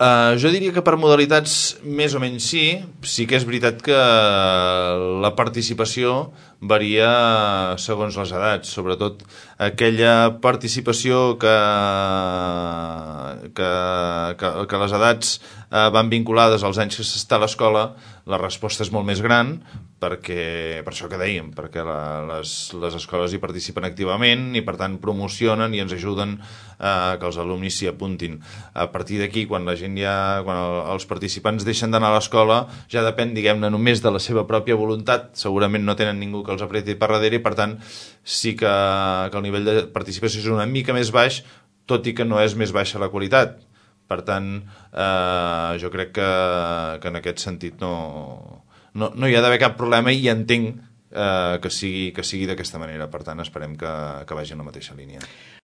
Jo diria que per modalitats més o menys sí que és veritat que la participació varia segons les edats, sobretot aquella participació que les edats van vinculades als anys que s'està a l'escola, la resposta és molt més gran, perquè, per això que dèiem, perquè les escoles hi participen activament i per tant promocionen i ens ajuden que els alumnes s'hi apuntin. A partir d'aquí, quan els participants deixen d'anar a l'escola, ja depèn, diguem-ne, només de la seva pròpia voluntat, segurament no tenen ningú que els apreti per darrere i per tant sí que el nivell de participació és una mica més baix, tot i que no és més baixa la qualitat. Per tant, jo crec que en aquest sentit no hi ha d'haver cap problema i entenc que sigui d'aquesta manera. Per tant, esperem que vagi en la mateixa línia.